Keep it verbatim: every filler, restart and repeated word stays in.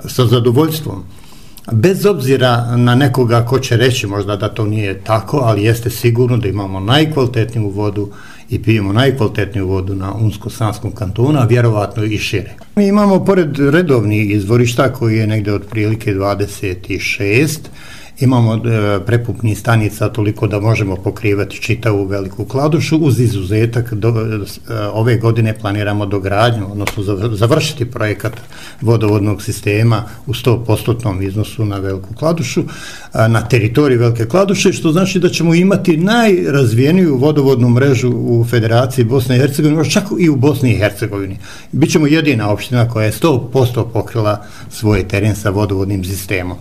sa zadovoljstvom. Bez obzira na nekoga ko će reći možda da to nije tako, ali jeste sigurno da imamo najkvalitetniju vodu i pijemo najkvalitetniju vodu na Unsko-Sanskom kantonu, a vjerovatno i šire. Mi imamo, pored redovnih izvorišta, koji je negde otprilike dvadeset šest, imamo prepupnih stanica toliko da možemo pokrivati čitavu Veliku Kladušu, uz izuzetak do, ove godine planiramo dogradnju, odnosno završiti projekat vodovodnog sistema u sto posto iznosu na Veliku Kladušu, na teritoriji Velike Kladuše, što znači da ćemo imati najrazvijeniju vodovodnu mrežu u Federaciji Bosne i Hercegovine, čak i u Bosni i Hercegovini. Bićemo jedina opština koja je sto posto pokrila svoj teren sa vodovodnim sistemom.